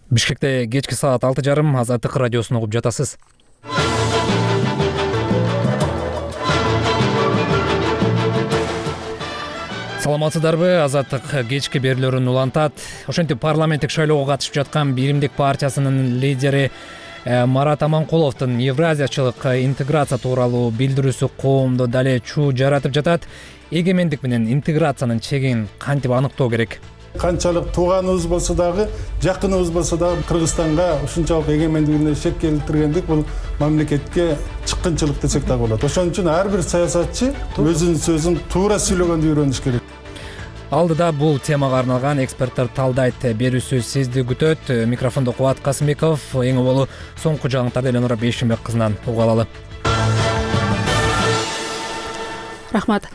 Бишкекте кечки саат 6:30 Азаттык радиосун угуп жатасыз. Саламатсыздарбы? Азаттык кечки берүүлөрүн улантат. Ошентип парламенттик шайлоого катышып жаткан Биримдик партиясынын лидери Марат Аманкуловдун евразиячылык интеграция тууралуу билдирүүсү коомдо дале чуу жаратып жатат. Эгемендик менен интеграциянын чегин кантип аныктоо керек? Канчалык тууганыбыз болсо дагы, жакыныбыз болсо дагы Кыргызстанга ушунчалык эгемендигине шек келтиргендик бул мамлекетке чыккынчылык десек дагы болот. Ошон үчүн ар бир саясатчы өзүнүн сөзүн туура сүйлөгөндү үйрөнүш керек. Алдыда бул темага арналган эксперттер талдайт. Берүүсү сизди күтөт. Микрофондо Кубат Касымбеков. Эң болу соңку жаңылыктарды Эленора Бейшимбек кызынан угуп алалы. Рахмат.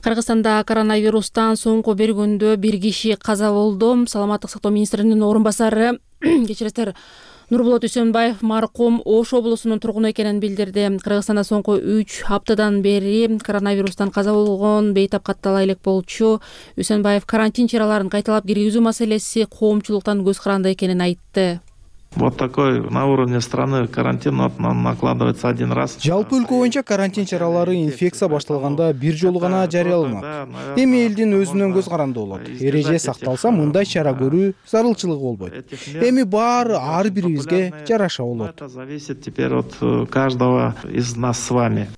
Кыргызстанда коронавирустан соңку бир күндө бир киши каза болду. Саламаттык сактоо министринин орун басары кечиресиздер Нурболот Үсөнбаев маркум Ош облусунун тургуну экенин билдирди. Кыргызстанда соңку 3 аптадан бери коронавирустан каза болгон бейтап каттала элек болчу. Үсөнбаев карантин чараларын кайталап киргизүү маселеси коомчулуктан көз каранды экенин айтты. Вот такой на уровне страны карантин накладывается один раз. Жалпы өлкө боюнча карантин чаралары инфекция башталганда бир жолу гана жарыяланат. Эми элдин өзүнөн көз каранды болот. Эреже сакталса мындай чара көрүү зарылчылыгы болбойт. Эми баары ар бирибизге жараша болот. Это зависит теперь от каждого из нас с вами.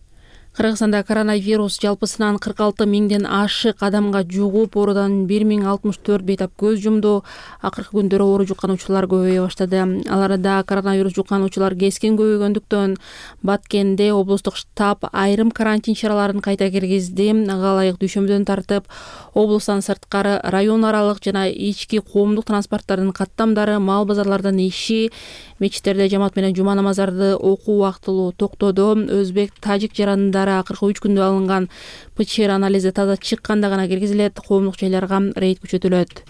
Кыргызстанда коронавирус жалпысынан 46 миңден ашык адамга жугуп, оорудан 1064 бейтап көз жумду. Акыркы күндөрү оору жуккануучулар көбөйө баштады. Аларда коронавирус жуккануучулар кескин көбөйгөндүктөн Баткенде облустук штаб айрым карантин чараларын кайта киргизди. Ага ылайык дүйшөмбүдөн тартып, облустан сырткары район аралык жана ички коомдук транспорттардын каттамдары, мал базарлардын иши, мечиттерде жамаат менен жума намаздарды окуу убактылуу токтоду. Өзбек, тажик жарандары акыркы 3 күндө алынган ПЧР анализи таза чыкканда гана киргизилет. Коомдук жайларга рейд күчөтүлөт.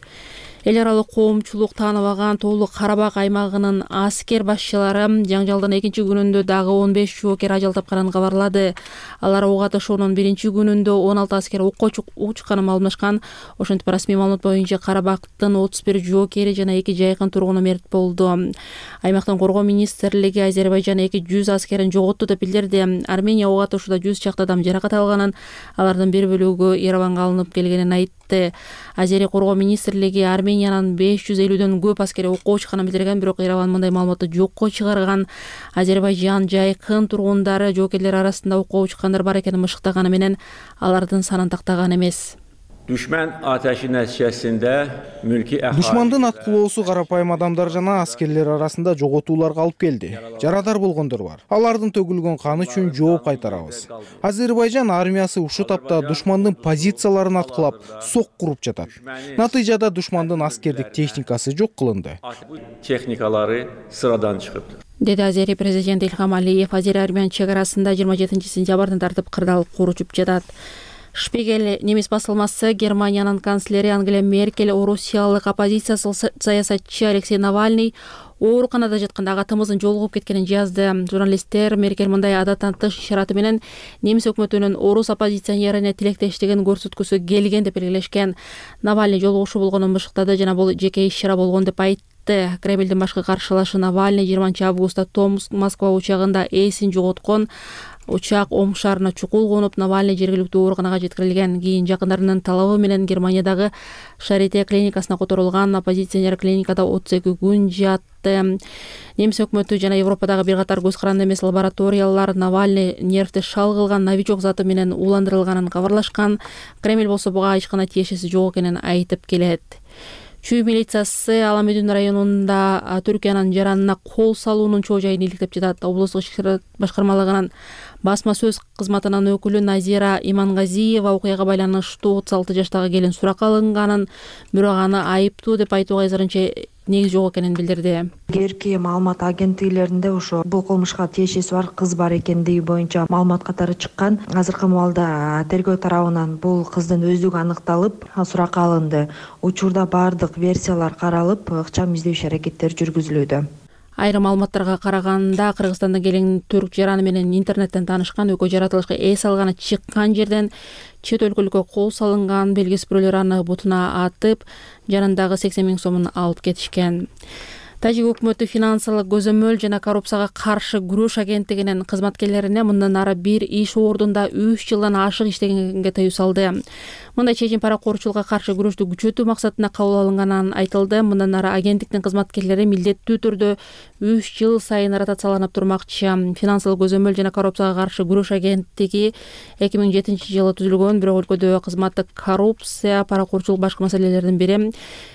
Эл аралык коомчулук тааныбаган Тоолу Карабак аймагынын аскер башчылары жаңжалдын экинчи күнүндө дагы 15 жоокер ажал тапканын кабарлады. Алар ок атышуунун биринчи күнүндө 16 аскер окко учканын маалымдашкан. Ошентип расмий маалымат боюнча Карабактын 31 жоокери жана 2 жайкын тургуну мерт болду. Аймактын коргоо министрлиги Азербайжан 200 аскерин жоготту деп билдирди. Армения ок атышууда 100 чакты адам жаракат алганын, алардын бир бөлүгү Ереванга алынып келгенин айтты. Азери коргоо министрлиги Армениянын 550дөн көп аскери окко учканын билдирген, бирок Ереван мындай маалыматты жокко чыгарган. Азербайжан жайкын тургундары жоокерлер арасында окко учкандар бар экенин мышыктаганы менен алардын санын тактаган эмес. Düşman ateşi nəticəsində mülki əhali... Душмандын аткылоосу карапайым адамдар жана аскерлер арасында жоготууларга алып келди. Жарадар болгондор бар. Алардын төгүлгөн каны үчүн жооп кайтарабыз. Азербайжан армиясы ушул тапта душмандын позицияларын аткылап, сок куруп жатат. Натыйжада душмандын аскердик техникасы жок кылынды. Техникалары sıradan чыгыптыр. Деди Азери президенти Илхам Алиев. Азери-Армян чек арасында 27-сентябрдан тартып кырдаал куручуп жатат. Шпигель немис басылмасы Германиянын канцлери Ангела Меркель орусиялык оппозиция саясатчы Алексей Навальный ооруканада жатканда агатымыздын жолугуп кеткенин жазды. Журналисттер Меркель мындай адаттан тыш ишараты менен немис өкмөтүнүн орус оппозиционерине тилектештигин көрсөткүсү келген деп белгилешкен. Навальный жолугушуу болгонун бышыктады жана бул жеке иш-чара болгон деп айтты. Кремлдин башкы каршылашы Навальный 20-августта Томск-Москва учагында эсин жоготкон. Учак Ом шаарына чукул конуп, Навальный жергиликтүү ооруканага жеткирилген. Кийин жакындарынын талабы менен Германиядагы Шарите клиникасына которулган. Оппозиционер клиникада 32 күн жатты. Немис өкмөтү жана Европадагы бир катар көз каранды эмес лабораториялар Навальный нервти шал кылган новичок заты менен ууландырылганын кабарлашкан. Кремль болсо буга эч кандай тиешеси жок экенин айтып келет. Чүй милициясы Аламедин районунда Түркиянын жаранына кол салуунун чоо жайын иликтеп жатат. Облустук ишкер башкармалыгынын басма сөз кызматынын өкүлү Назира Имангазиева окуяга байланыштуу 36 жаштагы келин суракка алынганын, бирок аны айыптуу деп айтууга азырынча негиз жок экенин билдирди. Герки маалымат агенттиклеринде ошо бул кылмышка тиешеси бар кыз бар экендиги боюнча маалымат катары чыккан. Азыркы маалда тергөө тарабынан бул кыздын өздүгү аныкталып, суракка алынды. Учурда бардык версиялар каралып, ыкчам издөөчү аракеттер жүргүзүлүүдө. Айрым маалыматтарга караганда Кыргызстанда келин түрк жараны менен интернеттен таанышкан, өкө жаратылышка эс алганы чыккан жерден чет өлкөлүккө кол салынган. Белгисиз бирөөлөр аны бутуна атып, жанындагы 80 000 сомун алып кетишкен. Тажик өкмөтү финансылык көзөмөл жана коррупцияга каршы күрөш агенттигинин кызматкерлерине мындан ары бир иш ордунда 3 жылдан ашык иштегенге тыюу салды. Мындай чечим паракорчулукка каршы күрөштү күчөтүү максатында кабыл алынганын айтылды. Мындан ары агенттиктин кызматкерлери милдеттүү түрдө 3 жыл сайын ротацияланып турмакчы. Финансылык көзөмөл жана коррупцияга каршы күрөш агенттиги 2007-жылы түзүлгөн, бирок өлкөдө кызматтык коррупция, паракорчулук башка маселелердин бири.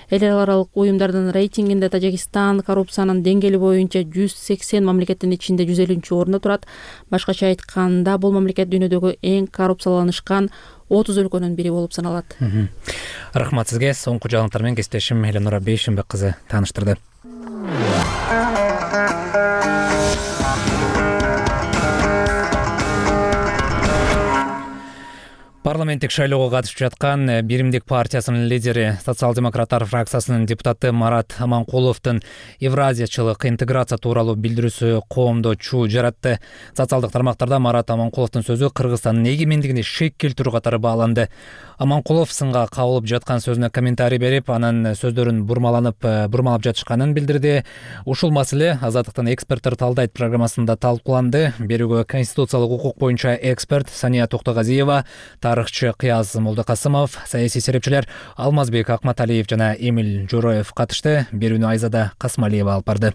Эл аралык уюмдардын рейтингинде Тажикстан коррупциянын деңгээли боюнча 180 мамлекеттин ичинде 150-орунда турат. Башкача айтканда, бул мамлекет дүйнөдөгү эң коррупцияланышкан 30 өлкөнүн бири болуп саналат. Рахмат сизге. Соңку жаңылыктар менен кесиптешим Эленора Бейшенбек кызы тааныштырды. Парламенттик шайлоого катышып жаткан Биримдик партиясынын лидери, социал-демократтар фракциясынын депутаты Марат Аманкуловдун евразиячылык интеграция тууралуу билдирүүсү коомдо чуу жаратты. Социалдык тармактарда Марат Аманкуловдун сөзү Кыргызстандын эгемендигине шек келтирүү катары бааланды. Аманкулов сынга кабылып жаткан сөзүнө комментарий берип, анын сөздөрүн бурмалап жатышканын билдирди. Ушул маселе Азаттыктын эксперттер талдайт программасында талкууланды. Берүүгө конституциялык укук боюнча эксперт Сания Токтогазиева, тарыхчы Кыяз Молдокасымов, саясий серепчилер Алмазбек Акматалиев жана Эмил Жороев катышты. Берүүнү Айзада Касмалиева алып барды.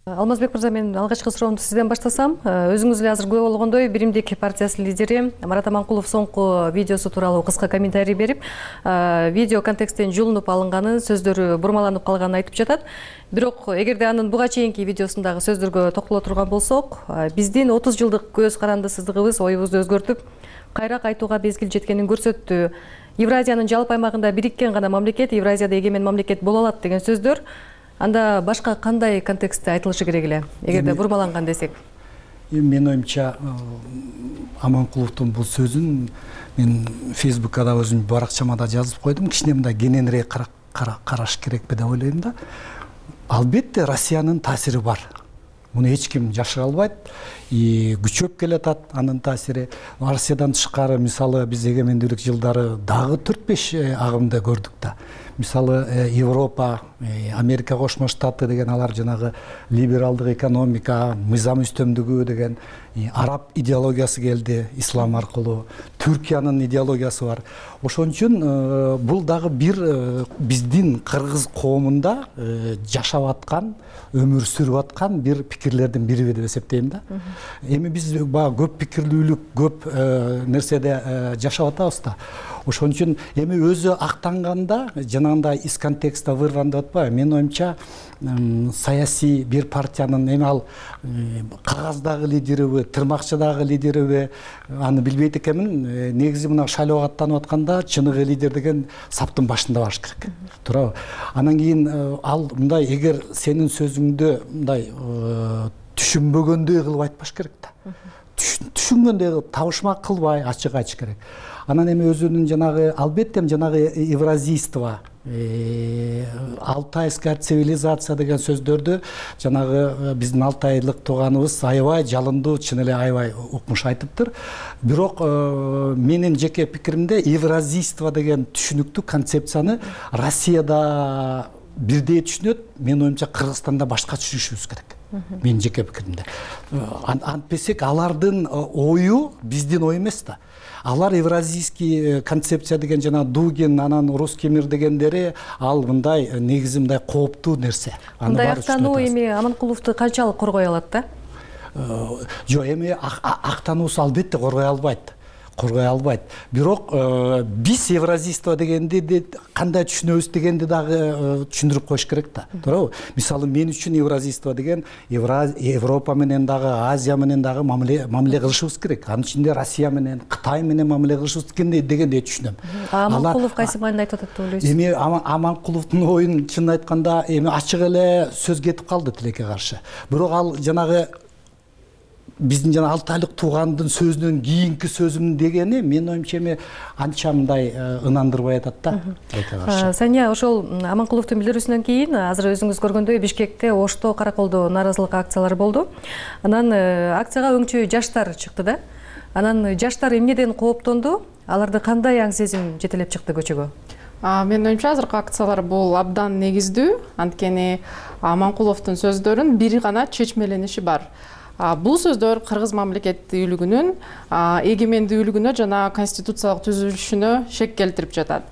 Алмазбек мырза, мен алгачкы суроомду сизден баштасам. Өзүңүз эле азыр күбө болгондой, Биримдик партиясынын лидери Марат Аманкулов соңку видеосу тууралуу кыска комментарий берип, видео контексттен жулунуп алынганын, сөздөрү бурмаланып калганын айтып жатат. Бирок эгерде анын буга чейинки видеосундагы сөздөргө токтоло турган болсок, биздин 30 жылдык көз карандысыздыгыбыз оюбузду өзгөртүп, кайра кайтууга мезгил жеткенин көрсөттү. Евразиянын жалпы аймагында бириккен гана мамлекет, Евразияда эгемен мамлекет боло алат деген сөздөр анда башка кандай контекстте айтылышы керек эле, эгерде бурмаланган десек? Менин оюмча, Аманкуловдун бул сөзүн мен Фейсбукка да өзүм баракчама да жазып койдум. Кичине мындай кененирээк караш керекпи деп ойлойм да. Албетте Россиянын таасири бар. Муну эч ким жашыра албайт. Күчөп келатат анын таасири. Россиядан тышкары, мисалы, биз эгемендүүлүк жылдары дагы 4-5 агымды көрдүк да. Мисалы, Европа, Америка Кошмо Штаты деген алар жанагы либералдык экономика, мыйзам үстөмдүгү деген араб идеологиясы келди ислам аркылуу. Түркиянын идеологиясы бар. Ошон үчүн бул дагы бир биздин кыргыз коомунда жашап аткан, өмүр сүрүп аткан бир пикирлердин бири деп эсептейм да. Эми биз көп пикирлүүлүк, көп нерседе жашап атабыз да. Ошон үчүн эми өзү актанганда, жанагындай из контекста вырван деп атпайбы. Менин оюмча, саясий бир партиянын эми ал кагаздагы лидериби, тырмакчадагы лидериби, аны билбейт экенмин. Негизи мына шайлоого аттанып атканда чыныгы лидер деген саптын башында баш керек. Туурабы? Анан кийин ал мындай, эгер сенин сөзүңдү мындай түшүнбөгөндөй кылып айтпаш керек да. Түшүнгөндөй кылып, табышмак кылбай ачык айтыш керек. Анан эми өзүнүн жанагы, албетте жанагы евразийство, алтайская цивилизация деген сөздөрдү жанагы биздин алтайлык тууганыбыз аябай жалындуу, чын эле аябай укмуш айтыптыр. Бирок менин жеке пикиримде евразийство деген түшүнүктүү концепцияны Россияда бирдей түшүнөт, менин оюмча Кыргызстанда башка түшүнүшүбүз керек. Менин жеке пикиримде. Антпесек алардын ою биздин ой эмес да. Алар евразийский концепция деген жана Дугин, анан русский мир дегендери ал мындай негизи мындай кооптуу нерсе. Мындай актануу эми Аманкуловду канчалык коргой алат да? Жок, эми актануусу албетте коргой албайт. Бирок биз евразийство дегенди кандай түшүнөбүз дегенди дагы түшүндүрүп коюш керек да. Туурабы? Мисалы, мен үчүн евразийство деген Европа менен дагы, Азия менен дагы мамиле кылышыбыз керек. Анын ичинде Россия менен, Кытай менен мамиле кылышыбыз дегендей түшүнөм. Аманкулов кайсы мааниде айтып атат деп ойлойсуз? Эми Аманкуловдун оюн чын айтканда эми ачык эле сөз кетип калды тилекке каршы. Бирок ал жанагы биздин жана алтайлык туугандын сөзүнөн кийинки сөзүм дегени менин оюмча эми анча мындай ынандырбай атат да. Сания, ошол Аманкуловдун билдирүүсүнөн кийин азыр өзүңүз көргөндөй Бишкекте, Ошто, Караколдо нааразылык акциялары болду. Анан акцияга өңчө жаштар чыкты да. Анан жаштар эмнеден кооптонду? Аларды кандай аң сезим жетелеп чыкты көчөгө? Менин оюмча азыркы акциялар бул абдан негиздүү. Анткени Аманкуловдун сөздөрүн бир гана чечмелениши бар. Бул сөздөр кыргыз мамлекеттүүлүгүнүн эгемендүүлүгүнө жана конституциялык түзүлүшүнө шек келтирип жатат.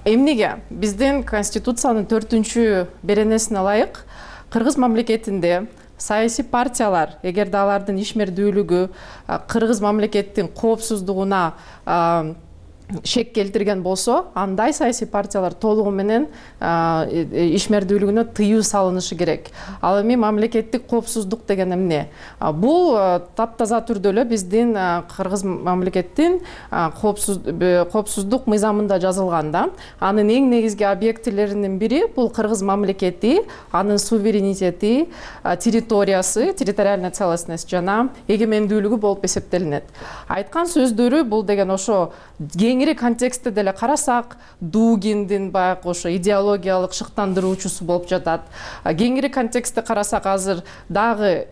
Эмнеге? Биздин конституциянын 4-беренесине ылайык кыргыз мамлекетинде саясий партиялар, эгерде алардын ишмердүүлүгү кыргыз мамлекеттин коопсуздугуна шек келтирген болсо, андай саясий партиялар толугу менен ишмердүүлүгүнө тыюу салынышы керек. Ал эми мамлекеттик коопсуздук деген эмне? Бул таптаза түрдө эле биздин кыргыз мамлекеттин коопсуздук мыйзамында жазылган да. Анын эң негизги объектилеринин бири бул кыргыз мамлекети, анын суверенитети, территориясы, территориальная целостность жана эгемендүүлүгү болуп эсептелинет. Айткан сөздөрү бул деген ошо кеңири контекстте деле карасак, Дугиндин баягы ошо идеологиялык шыктандыруучусу болуп жатат. Кеңири контекстте карасак азыр дагы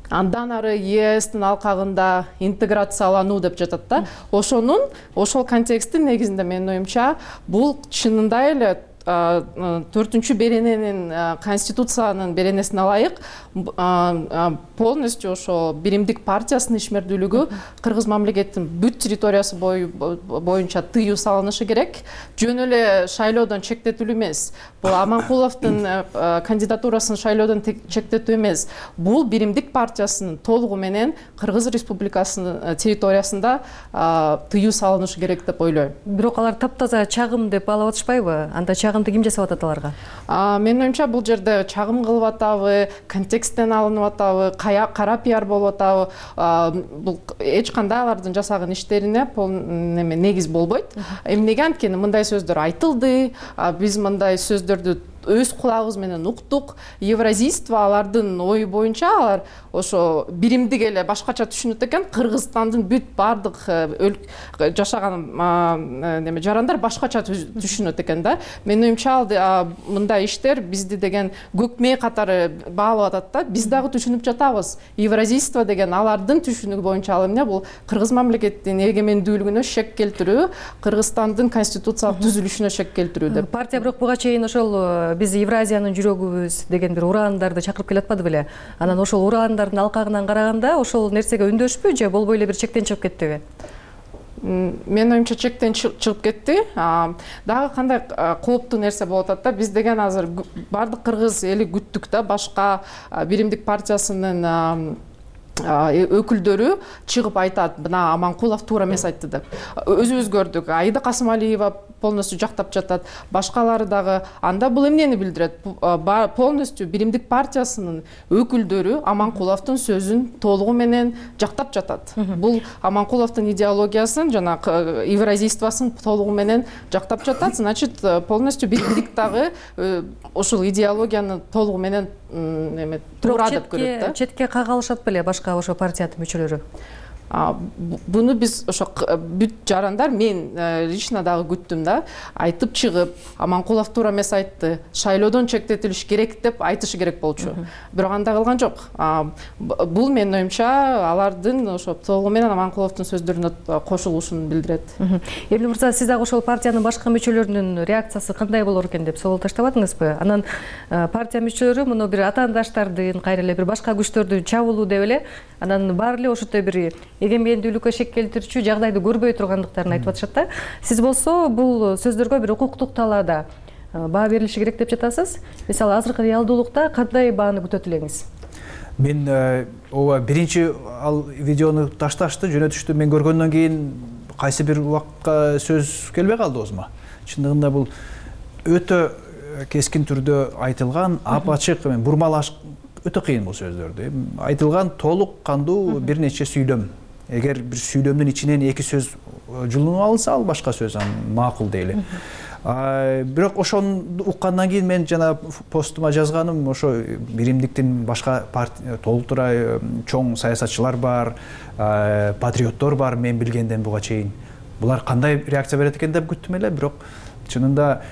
андан ары ЕСтин алкагында интеграциялануу деп жатат да. Ошол контексттин негизинде менин оюмча бул чынында эле 4-берененин конституциянын беренесине ылайык полностью ошо биримдик партиясынын ишмердүүлүгү кыргыз мамлекеттин бүт территориясы боюнча тыюу салынышы керек. Жөн эле шайлоодон чектетүү эмес. Бул Аманкуловдун кандидатурасын шайлоодон чектетүү эмес. Бул биримдик партиясынын толугу менен Кыргыз Республикасынын территориясында тыюу салынышы керек деп ойлойм. Бирок алар таптаза чагым деп алып атышпайбы? Анда чагымды ким жасап атат аларга? Менин оюмча бул жерде чагым кылып атабы, контексттен алынып атабы, кара пиар болуп атабы, бул эч кандай алардын жасаган иштерине негиз болбойт. Эмнеге? Анткени мындай сөздөр айтылды, биз мындай сөздөрдү өз кулагыбыз менен уктук. Евразийство алардын ою боюнча алар ошо биримдик эле башкача түшүнөт экен. Кыргызстандын бүт бардык жашаган жарандар башкача түшүнөт экен да. Менин оюмча мындай иштер бизди деген көк мээ катары баалап атат да. Биз дагы түшүнүп жатабыз. Евразийство деген алардын түшүнүгү боюнча ал эмне? Бул кыргыз мамлекеттин эгемендүүлүгүнө шек келтирүү, Кыргызстандын конституциялык түзүлүшүнө шек келтирүү деп. Партия бирок буга чейин ошол биз Евразиянын жүрөгүбүз деген бир ураандарды чакырып келатпады беле? Анан ошол ураандардын алкагынан караганда ошол нерсеге үндөшпү же болбой эле бир чектен чыгып кеттиби? Менин оюмча чектен чыгып кетти. Дагы кандай кооптуу нерсе болуп атат да, биз деген азыр бардык кыргыз эли күттүк да, башка биримдик партиясынын өкүлдөрү чыгып айтат, мына Аманкулов туура эмес айтты деп. Өзүбүз көрдүк. Аида Касымалиева полностью жактап жатат. Башкалары дагы. Анда бул эмнени билдирет? Полностью биримдик партиясынын өкүлдөрү Аманкуловдун сөзүн толугу менен жактап жатат. Бул Аманкуловдун идеологиясын жана евразийствосын толугу менен жактап жатат. Значит, полностью биримдик дагы ошол идеологияны толугу менен туура деп көрөт да. Четке кагалышат беле башка ошо партиянын мүчөлөрү? Буну биз ошо бүт жарандар, мен лично дагы күттүм да, айтып чыгып, Аманкулов туура эмес айтты, шайлоодон чектетилиш керек деп айтышы керек болчу. Бирок андай кылган жок. Бул менин оюмча алардын ошо толугу менен Аманкуловдун сөздөрүнө кошулушун билдирет. Эмне мырза, сиз дагы ошол партиянын башка мүчөлөрүнүн реакциясы кандай болор экен деп собол таштабадыңызбы? Анан партия мүчөлөрү муну бир атаандаштардын, кайра эле бир башка күчтөрдүн чабуулу деп эле, анан баары эле ошондой бир эгемендүүлүккө шек келтирүүчү жагдайды көрбөй тургандыктарын айтып атышат да. Сиз болсо бул сөздөргө бир укуктук талаада баа берилиши керек деп жатасыз. Мисалы азыркы реалдуулукта кандай бааны күтөт элеңиз? Мен ооба биринчи ал видеону ташташты, жөнөтүштү. Мен көргөндөн кийин кайсы бир убакка сөз келбей калды оозума. Чындыгында бул өтө кескин түрдө айтылган, ап-ачык, бурмалаш өтө кыйын бул сөздөрдү. Айтылган толук кандуу бир нече сүйлөм. Эгер бир сүйлөмдүн ичинен эки сөз жулунуп алынса, ал башка сөз, макул дейли. Бирок ошону уккандан кийин мен жана постума жазганым, ошо биримдиктин башка толтура чоң саясатчылар бар, патриоттор бар, мен билгенден буга чейин. Булар кандай реакция берет экен деп күттүм эле, бирок чынында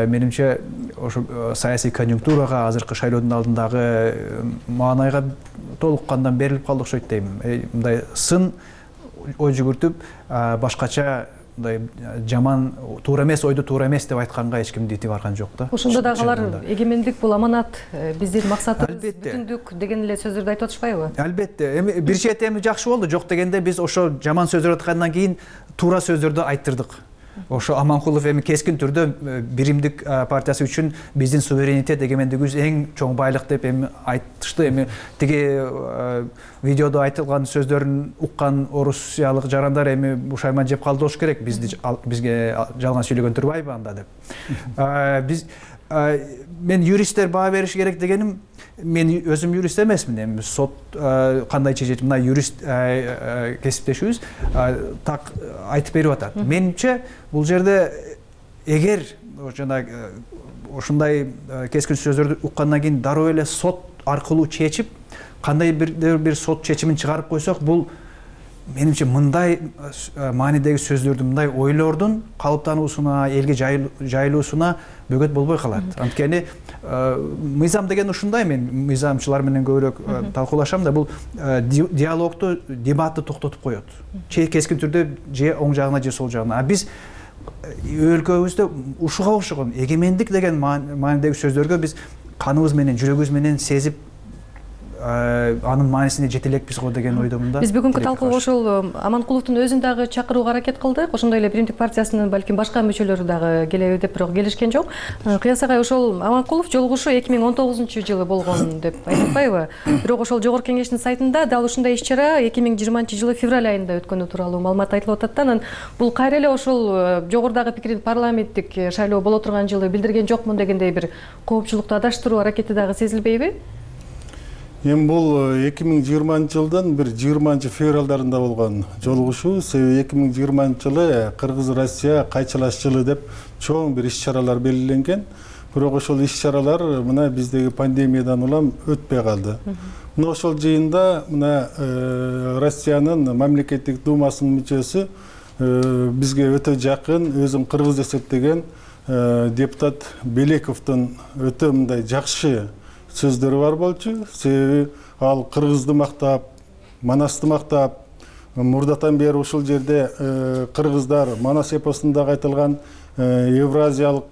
менимче ошо саясий конъюнктурага, азыркы шайлоодун алдындагы маанайга толуккандан берилип калды окшойт дейм. Мындай сын ой жүгүртүп, башкача мындай жаман, туура эмес ойду туура эмес деп айтканга эч ким дити барган жок да. Ошондо дагы алар эгемендик бул аманат, биздин максатыбыз бүтүндүк деген эле сөздөрдү айтып атышпайбы? Албетте. Эми бир чети эми жакшы болду. Жок дегенде биз ошо жаман сөздөр айткандан кийин туура сөздөрдү айттырдык. Ошо Аманкулов эми кескин түрдө биримдик партиясы үчүн биздин суверенитет, эгемендигибиз эң чоң байлык деп эми айтышты. Эми тиги видеодо айтылган сөздөрүн уккан орусиялык жарандар эми бушайман жеп калды болуш керек. Бизге жалган сүйлөгөн турбайбы анда деп. Биз мен юристтер баа бериши керек дегеним, мен өзүм юрист эмесмин. Эми сот кандай чечет, мына юрист кесиптешибиз так айтып берип атат. Менимче бул жерде эгер жана ушундай кескин сөздөрдү уккандан кийин дароо эле сот аркылуу чечип, кандай бир сот чечимин чыгарып койсок, бул менимче мындай маанидеги сөздөрдүн, мындай ойлордун калыптануусуна, элге жайылуусуна бөгөт болбой калат. Анткени мыйзам деген ушундай, мен мыйзамчылар менен көбүрөөк талкуулашам да, бул диалогду, дебатты токтотуп коет. Кескин түрдө же оң жагына же сол жагына. А биз өлкөбүздө ушуга окшогон эгемендик деген маанидеги сөздөргө биз каныбыз менен, жүрөгүбүз менен сезип анын маанисине жете элекпиз го деген ойдомун да. Биз бүгүнкү талкууга ошол Аманкуловдун өзүн дагы чакырууга аракет кылдык. Ошондой эле Биримдик партиясынын балким башка мүчөлөрү дагы келеби деп, бирок келишкен жок. Кыяс агай, ошол Аманкулов жолугушуу 2019-жылы болгон деп айтпайбы? Бирок ошол жогорку кеңештин сайтында дал ушундай иш-чара 2020-жылы февраль айында өткөнү тууралуу маалымат айтылып атат да. Анан бул кайра эле ошол жогорудагы пикирин парламенттик шайлоо боло турган жылы билдирген жокмун дегендей бир коопчулукту адаштыруу аракети дагы сезилбейби? Эми бул 2020-жылдын бир 20-февралдарында болгон жолугушуу. Себеби 2020-жылы Кыргыз-Россия кайчылаш жылы деп чоң бир иш-чаралар белгиленген. Бирок ошол иш-чаралар мына биздеги пандемиядан улам өтпөй калды. Мына ошол жыйында мына Россиянын мамлекеттик думасынын мүчөсү, бизге өтө жакын, өзүн кыргыз эсептеген депутат Белековдун өтө мындай жакшы сөздөрү бар болчу. Себеби ал кыргызды мактап, Манасты мактап, мурдатан бери ушул жерде кыргыздар Манас эпосунда айтылган евразиячыл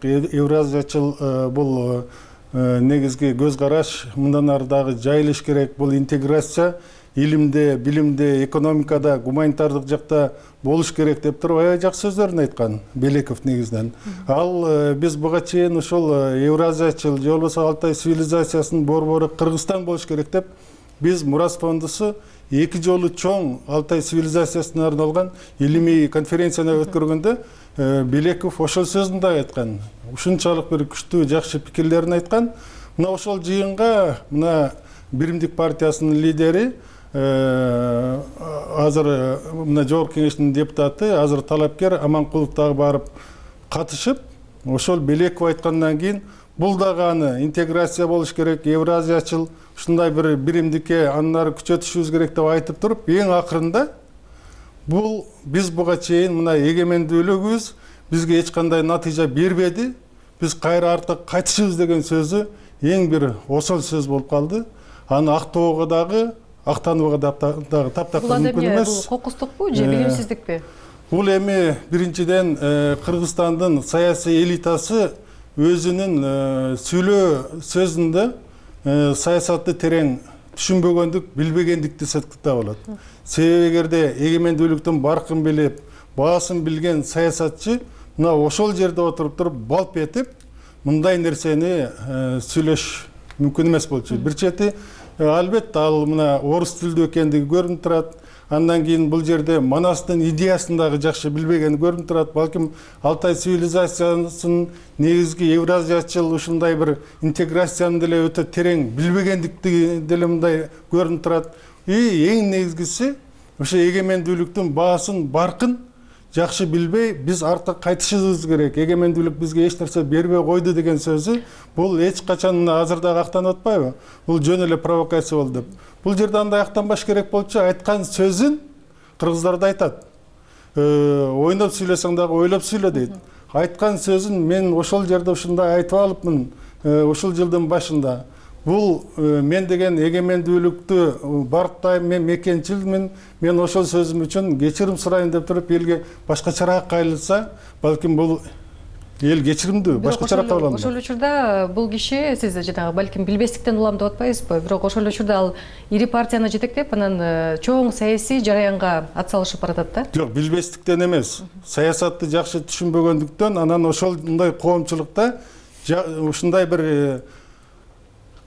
бул негизги көз караш, мындан ары дагы жайылыш керек, бул интеграция илимде, билимде, экономикада, гуманитардык жакта болуш керек деп туруп аябай жакшы сөздөрүн айткан Белеков негизинен. Ал биз буга чейин ушул евразиячыл же болбосо Алтай цивилизациясынын борбору Кыргызстан болуш керек деп, биз Мурас фондусу 2 жолу чоң Алтай цивилизациясына арналган илимий конференцияны өткөргөндө Белеков ошол сөзүн да айткан. Ушунчалык бир күчтүү жакшы пикирлерин айткан. Мына ошол жыйынга мына Биримдик партиясынын лидери, азыр мына жогорку кеңештин депутаты, азыр талапкер Аманкулов дагы барып катышып, ошол Белеков айткандан кийин бул дагы аны интеграция болуш керек, евразиячыл ушундай бир биримдикке андан ары күчөтүшүбүз керек деп айтып туруп, эң акырында бул биз буга чейин мына эгемендүүлүгүбүз бизге эч кандай натыйжа бербеди, биз кайра артка кайтышыбыз деген сөзү эң бир осол сөз болуп калды. Аны актоого дагы, актанууга дагы таптакыр мүмкүн эмес. Бул кокустукпу же билимсиздикпи? Бул эми биринчиден Кыргызстандын саясий элитасы өзүнүн сүйлөө сөзүндө саясатты терең түшүнбөгөндүк, билбегендикти сыктыктап болот. Себеби эгерде эгемендүүлүктүн баркын билип, баасын билген саясатчы мына ошол жерде отуруп туруп балп этип, мындай нерсени сүйлөш мүмкүн эмес болчу. Бир чети албетте ал мына орус тилдүү экендиги көрүнүп турат. Андан кийин бул жерде Манастын идеясын дагы жакшы билбегени көрүнүп турат. Балким Алтай цивилизациясынын негизги евразиячыл ушундай бир интеграцияны деле өтө терең билбегендикти деле мындай көрүнүп турат. Эң негизгиси ошо эгемендүүлүктүн баасын, баркын жакшы билбей, биз артка кайтышыбыз керек. Эгемендүүлүк бизге эч нерсе бербей койду деген сөзү бул эч качан азыр дагы актанып атпайбы? Бул жөн эле провокация болду деп. Бул жерде андай актанбаш керек болчу. Айткан сөзүн кыргыздар да айтат. Ойноп сүйлөсөң дагы ойлоп сүйлө дейт. Айткан сөзүн мен ошол жерде ушундай айтып алыпмын, ушул жылдын башында. бул мен деген эгемендүүлүктү барктайм, мен мекенчилмин, мен ошол сөзүм үчүн кечирим сурайын деп туруп элге башкачараак кайрылса, балким бул эл кечиримдүү, башкачараак кабыл алынат. Ошол учурда бул киши сиз жанагы балким билбестиктен улам деп атпайсызбы, бирок ошол учурда ал ири партияны жетектеп, анан чоң саясий жараянга атсалышып баратат да? Жок, билбестиктен эмес. Саясатты жакшы түшүнбөгөндүктөн, анан ошондой коомчулукта ушундай бир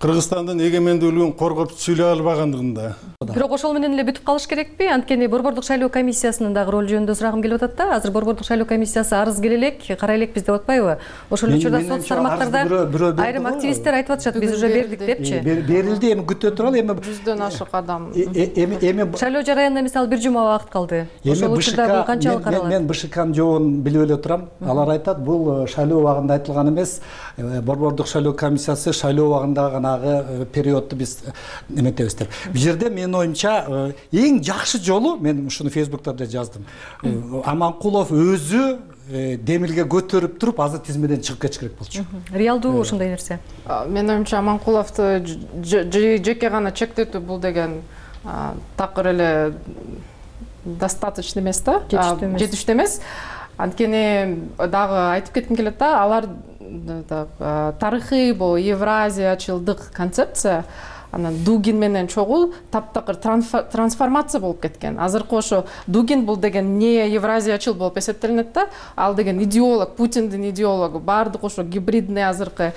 Кыргызстандын эгемендүүлүгүн коргоп сүйлөй албагандыгында. Бирок ошол менен эле бүтүп калыш керекпи? Анткени Борбордук шайлоо комиссиясынын дагы ролу жөнүндө сурагым келип атат да. Азыр Борбордук шайлоо комиссиясы арыз келе элек, карай элекпиз деп атпайбы? Ошол учурда сот тармактарда айрым активисттер айтып атышат, биз уже бердик депчи. Берилди, эми күтө туралы, эми 100дөн ашык адам. Эми шайлоо жараянына мисалы 1 жума убакыт калды. Ошол учурда бул канчалык каралат? Мен БШКнын жообун билип эле турам. Алар айтат, бул шайлоо убагында айтылган эмес. Борбордук шайлоо комиссиясы шайлоо убагында ганагы периодду биз эметебиз деп. Бул жерде менин оюмча эң жакшы жолу, мен ушуну Фейсбукта да жаздым. Аманкулов өзү демилге көтөрүп туруп азыр тизмеден чыгып кетиш керек болчу. Реалдуу ушундай нерсе. Менин оюмча Аманкуловду жеке гана чектетүү бул деген такыр эле достаточно эмес да, жетиштүү эмес. Анткени дагы айтып кетким келет да, алар тарыхый бул евразиячылдык концепция анан Дугин менен чогуу таптакыр трансформация болуп кеткен. Азыркы ошо Дугин бул деген не евразиячыл болуп эсептелинет да, ал деген идеолог, Путиндин идеологу, баардык ошо гибридный азыркы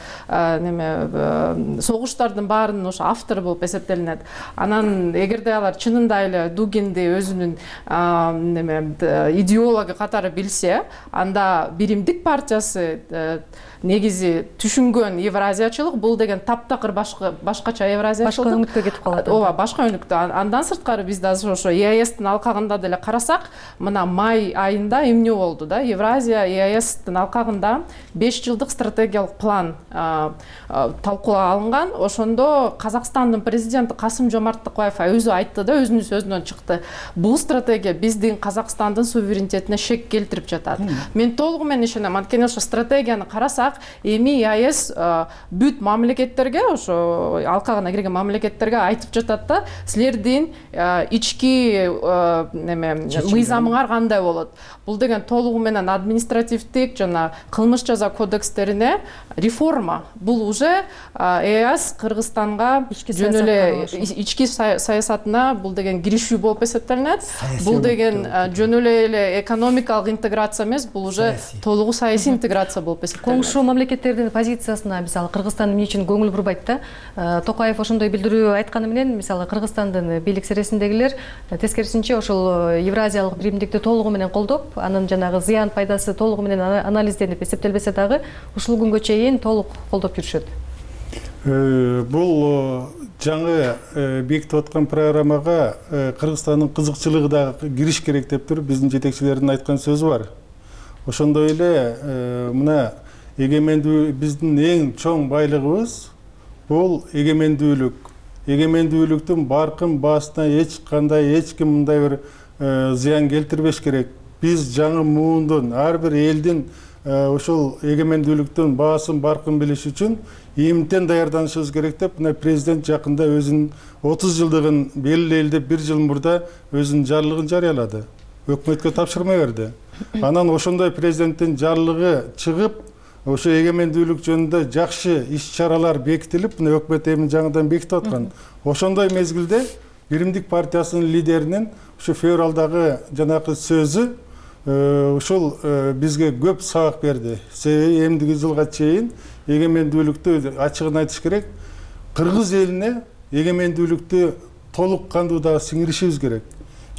согуштардын баарынын ошо автору болуп эсептелинет. Анан эгерде алар чынында эле Дугинди өзүнүн идеологу катары билсе, анда Биримдик партиясы негизи түшүнгөн евразиячылык бул деген таптакыр башкача евразиячылык. Башка өнүктө кетип калат. Ооба, башка өнүктө. Андан сырткары биз да ошо ЕАЭСтин алкагында деле карасак, мына май айында эмне болду да? Евразия ЕАЭСтин алкагында 5 жылдык стратегиялык план талкууланга алынган. Ошондо Казакстандын президенти Касым-Жомарт Токаев өзү айтты да, өзүнүн сөзүнөн чыкты. Бул стратегия биздин Казакстандын суверенитетине шек келтирип жатат. Мен толугу менен ишенем. Анткени ошо стратегияны карасак, эми ЕАЭС бүт мамлекеттерге, ошо алкагына кирген мамлекеттерге айтып жатат да, силердин ички мыйзамыңар кандай болот. Бул деген толугу менен административдик жана кылмыш жаза кодекстерине реформа. Бул уже ЕАЭС Кыргызстанга жөн эле ички саясатына бул деген киришүү болуп эсептелинет. Бул деген жөн эле экономикалык интеграция эмес, бул уже толугу саясий интеграция болуп эсептелинет. Коңшу мамлекеттердин позициясына мисалы Кыргызстан эмне үчүн көңүл бурбайт да? Токаев ошондой билдирүү айтканы менен мисалы Кыргызстандын бийлик сересиндегилер тескерисинче ошол евразиялык биримдикти толугу менен колдоп, анын жанагы зыян пайдасы толугу менен анализденип эсептелбесе дагы ушул күнгө чейин толук колдоп жүрүшөт. Бул жаңы бекитип аткан программага Кыргызстандын кызыкчылыгы дагы кириш керек деп туруп биздин жетекчилердин айткан сөзү бар. Ошондой эле мына биздин эң чоң байлыгыбыз бул эгемендүүлүк. Эгемендүүлүктүн баркын баасына эч ким мындай бир зыян келтирбеш керек. Биз жаңы муундун ар бир элдин ошол эгемендүүлүктүн баасын баркын билиш үчүн ийимтен даярданышыбыз керек деп, мына президент жакында өзүнүн 30 жылдыгын белгилейли 1 жыл мурда өзүнүн жарлыгын жарыялады. Өкмөткө тапшырма берди. Анан ошондой президенттин жарлыгы чыгып, ошо эгемендүүлүк жөнүндө жакшы иш-чаралар бекитилип, мына өкмөт эми жаңыдан бекитип аткан. Ошондой мезгилде Биримдик партиясынын лидеринин ушу февралдагы жанакы сөзү ушул бизге көп сабак берди. Себеби эмдиги жылга чейин эгемендүүлүктү ачыгын айтыш керек. Кыргыз элине эгемендүүлүктү толук кандуу дагы сиңиришибиз керек.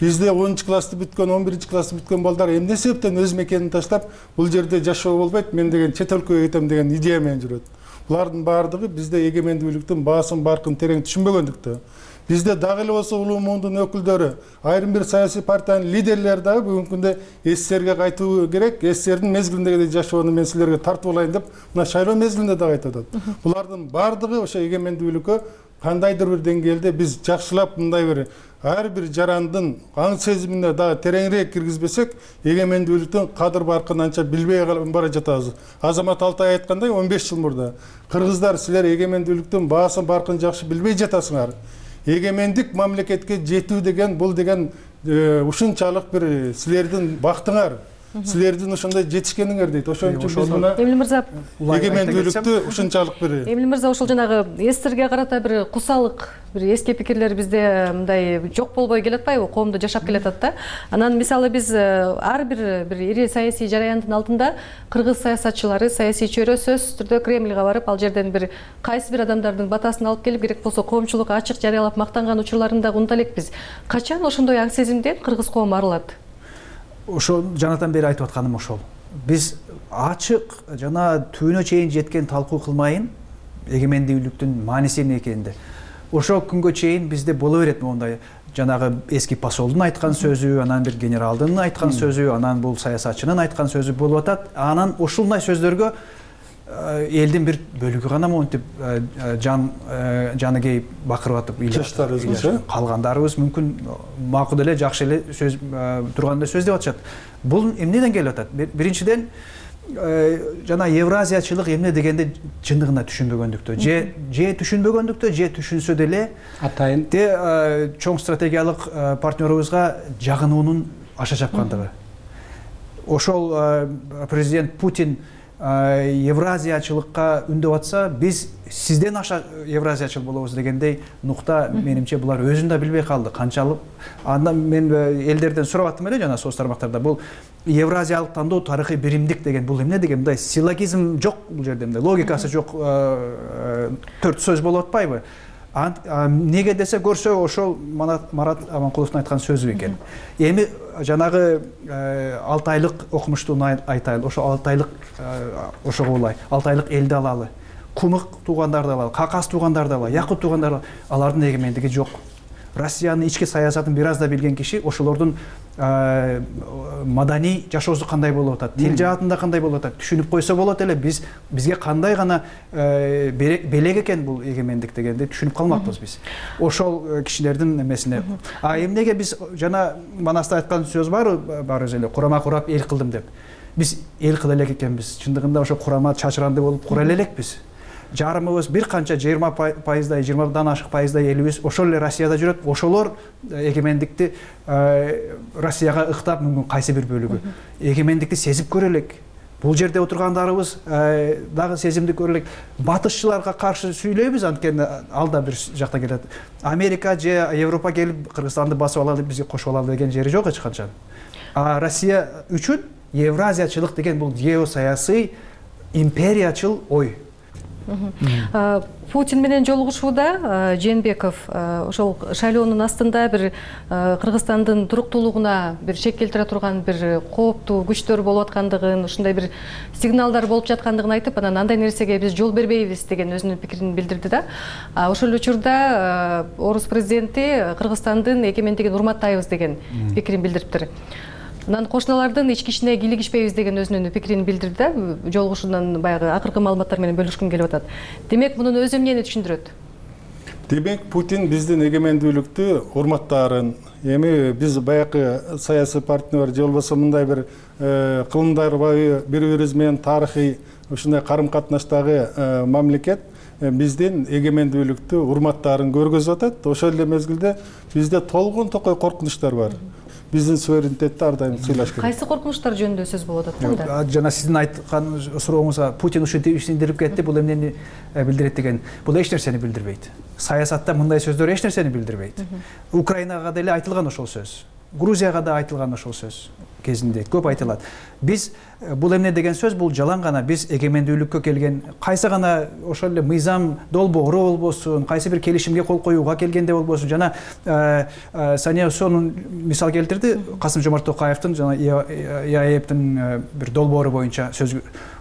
Бизде 10 классты бүткөн, 11 классты бүткөн балдар эмне себептен өз мекенин таштап, бул жерде жашоо болбойт, мен деген чет өлкөгө кетем деген идея менен жүрөт. Булардын баардыгы бизде эгемендүүлүктүн баасын баркын терең түшүнбөгөндүктөн. Бизде дагы эле болсо улуу муундун өкүлдөрү, айрым бир саясий партиянын лидерлери дагы бүгүнкү күндө СССРге кайтуу керек, СССРдин мезгилиндеги жашоону мен силерге тартып алайын деп, мына шайлоо мезгилинде дагы айтып атат. Булардын баардыгы ошо эгемендүүлүккө кандайдыр бир деңгээлде биз жакшылап мындай бир ар бир жарандын аң сезимине дагы тереңирээк киргизбесек, эгемендүүлүктүн кадыр баркын анча билбей бара жатабыз. Азамат Алтай айткандай 15 жыл мурда кыргыздар силер эгемендүүлүктүн баасын баркын жакшы билбей жатасыңар. Эгемендик мамлекетке жетүү деген бул деген ушунчалык бир силердин бактыңар. Силердин ошондой жетишкениңер дейт. Ошон үчүн биз мына Эмил мырза эгемендүүлүктү ушунчалык бир Эмил мырза ошол жанагы эстерге карата бир кусалык, бир эски пикирлер бизде мындай жок болбой келатпайбы? Коомдо жашап келатат да. Анан мисалы биз ар бир ири саясий жараяндын алдында кыргыз саясатчылары, саясий чөйрө сөзсүз түрдө Кремльге барып, ал жерден бир кайсы бир адамдардын батасын алып келип, керек болсо коомчулукка ачык жарыялап мактанган учурларын да унута элекпиз. Качан ошондой аң сезимден кыргыз коому арылат? Ошо жанатан бери айтып атканым ошол. Биз ачык жана түбүнө чейин жеткен талкуу кылмайын эгемендүүлүктүн мааниси эмне экенинде. Ошо күнгө чейин бизде боло берет мондай жанагы эски посолдун айткан сөзү, анан бир генералдын айткан сөзү, анан бул саясатчынын айткан сөзү болуп атат. Анан ушундай сөздөргө элдин бир бөлүгү гана монтип жаны кейип бакырып атып жаштарыбыз, калгандарыбыз мүмкүн макул эле жакшы эле сөз турганда сөз деп атышат. Бул эмнеден келип атат? Биринчиден жана евразиячылык эмне дегенди чындыгында түшүнбөгөндүктө, же түшүнбөгөндүктө, же түшүнсө деле атайын чоң стратегиялык партнерубузга жагынуунун аша чапкандыгы. Ошол президент Путин евразиячылыкка үндөп атса, биз сизден аша евразиячыл болобуз дегендей нукта менимче булар өзүн да билбей калды. Канчалык андан мен элдерден сурап аттым эле жана соц тармактарда. Бул евразиялык тандоо тарыхый биримдик деген бул эмне деген? Мындай силлогизм жок бул жерде, мындай логикасы жок төрт сөз болуп атпайбы? Неге десе көрсө ошол Марат Аманкуловдун айткан сөзү экен. Эми жанагы 6 айлык окумуштууну айтайлы, ошо 6 айлык ошого улай, 6 айлык элди алалы, кумук туугандарды алалы, какас туугандарды алалы, якут туугандарды, алардын эгемендиги жок. Россиянын ички саясатын бир аз да билген киши ошолордун маданий жашоосу кандай болуп атат, тил жаатында кандай болуп атат түшүнүп койсо болот эле. Бизге кандай гана белек экен бул эгемендик дегенди түшүнүп калмакпыз биз. Ошол кишилердин эмесине. Эмнеге биз жана Манаста айткан сөз барбыз эле, курама курап эл кылдым деп. Биз эл кыла элек экенбиз. Чындыгында ошо курама чачыранды болуп кура элекпиз. Жарымыбыз бир канча 20%, 20дан ашык пайыздай элибиз ошол эле Россияда жүрөт. Ошолор эгемендикти Россияга ыктап, мүмкүн кайсы бир бөлүгү эгемендикти сезип көрө элек. Бул жерде отургандарыбыз дагы сезимди көрө элек. Батышчыларга каршы сүйлөйбүз, анткени ал да бир жакта келет. Америка же Европа келип Кыргызстанды басып алалы, бизге кошуп алалы деген жери жок эч качан. Россия үчүн евразиячылык деген бул геосаясий империячыл ой. Путин менен жолугушууда Жээнбеков ошол шайлоонун астында бир Кыргызстандын туруктуулугуна бир шек келтире турган бир кооптуу күчтөр болуп аткандыгын, ушундай бир сигналдар болуп жаткандыгын айтып, анан андай нерсеге биз жол бербейбиз деген өзүнүн пикирин билдирди да. Ошол учурда орус президенти Кыргызстандын эгемендигин урматтайбыз деген пикирин билдириптир. Анан кошуналардын ички ишине кийлигишпейбиз деген өзүнүн пикирин билдирди да. Жолугушуудан баягы акыркы маалыматтар менен бөлүшкүм келип атат. Демек, мунун өзү эмнени түшүндүрөт? Демек, Путин биздин эгемендүүлүктү урматтаарын, эми биз баягы саясий партнер же болбосо мындай бир кылымдарбай бири-бирибиз менен тарыхый ушундай карым-катнаштагы мамлекет биздин эгемендүүлүктү урматтаарын көргөзүп атат. Ошол эле мезгилде бизде толгон токой коркунучтар бар. Биздин суверенитетти ар дайым сыйлаш керек. Кайсы коркунучтар жөнүндө сөз болуп атат да? Жана сиздин айткан сурооңузга Путин ушинтип ишендирип кетти, бул эмнени билдирет деген. Бул эч нерсени билдирбейт. Саясатта мындай сөздөр эч нерсени билдирбейт. Украинага деле айтылган ошол сөз. Грузияга да айтылган ошол сөз кезинде көп айтылат. Биз бул эмне деген сөз, бул жалаң гана. Биз эгемендүүлүккө келген кайсы гана ошол эле мыйзам долбоору болбосун, кайсы бир келишимге кол коюуга келгенде болбосун, жана Сания Сонун мисал келтирди, Касым-Жомарт Токаевдин жана ИАЭБдин бир долбоору боюнча сөз.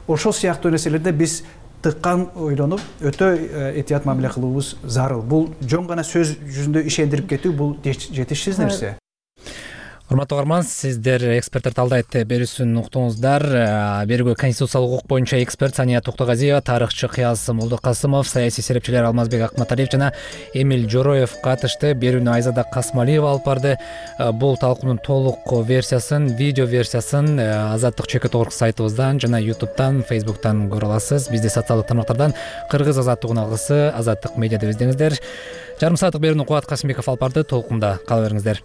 Ошол сыяктуу нерселерде биз тыккан ойлонуп, өтө этият мамиле кылуубуз зарыл. Бул жөн гана сөз жүзүндө ишендирип кетүү, бул жетишсиз нерсе. Урматтуу угарман, сиздер эксперттер талдайт берүүсүн уктуңуздар. Берүүгө конституциялык укук боюнча эксперт Сания Токтогазиева, тарыхчы Кыяз Молдокасымов, саясий серепчилер Алмазбек Акматалиев жана Эмиль Жороев катышты. Берүүнү Айзада Касмалиева алып барды. Бул талкуунун толук версиясын, видео версиясын Азаттык ЧК сайтыбыздан жана YouTube'дан, Facebook'тан көрө аласыз. Бизди социалдык тармактардан Кыргыз азаттыгынын алгысы Азаттык медиа деп издеңиздер. Жарым сааттык берүүнү Кубат Касымбеков алып барды. Толкунда кала бериңиздер.